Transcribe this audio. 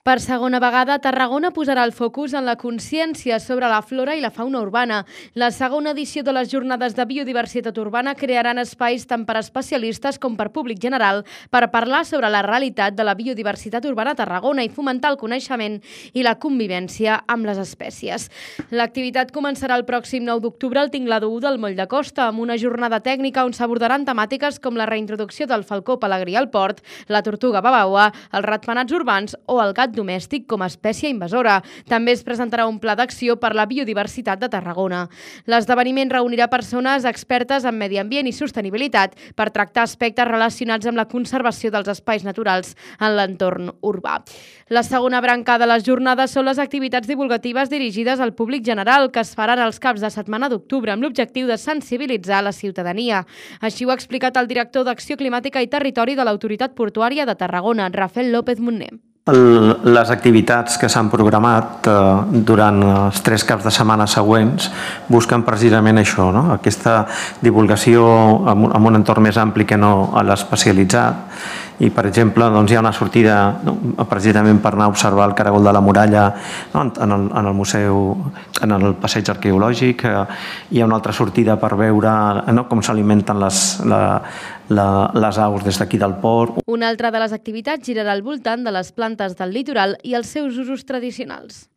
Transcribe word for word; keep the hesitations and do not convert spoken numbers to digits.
Per segona vegada, Tarragona posarà el focus en la consciència sobre la flora i la fauna urbana. La segona edició de les Jornades de Biodiversitat Urbana crearan espais tant per especialistes com per públic general per parlar sobre la realitat de la biodiversitat urbana a Tarragona i fomentar el coneixement i la convivència amb les espècies. L'activitat començarà el pròxim nou d'octubre al Tinglado u del Moll de Costa, amb una jornada tècnica on s'abordaran temàtiques com la reintroducció del falcó pelegrí al port, la tortuga babaua, els ratpenats urbans o el gat domèstic com a espècie invasora. També es presentarà un pla d'acció per la biodiversitat de Tarragona. L'esdeveniment reunirà persones expertes en medi ambient i sostenibilitat per tractar aspectes relacionats amb la conservació dels espais naturals en l'entorn urbà. La segona branca de les jornades són les activitats divulgatives dirigides al públic general que es faran els caps de setmana d'octubre amb l'objectiu de sensibilitzar la ciutadania. Així ho ha explicat el director d'Acció Climàtica i Territori de l'Autoritat Portuària de Tarragona, Rafael López Munné. Les activitats que s'han programat durant els tres caps de setmana següents busquen precisament això, no? Aquesta divulgació amb un entorn més ampli que no a l'especialitzat. I, per exemple, doncs, hi ha una sortida no? precisament per anar a observar el caragol de la muralla no? en, el, en el museu, en el passeig arqueològic. Hi ha una altra sortida per veure no? com s'alimenten les, la, la, les aus des d'aquí del port. Una altra de les activitats girarà al voltant de les plantes del litoral i els seus usos tradicionals.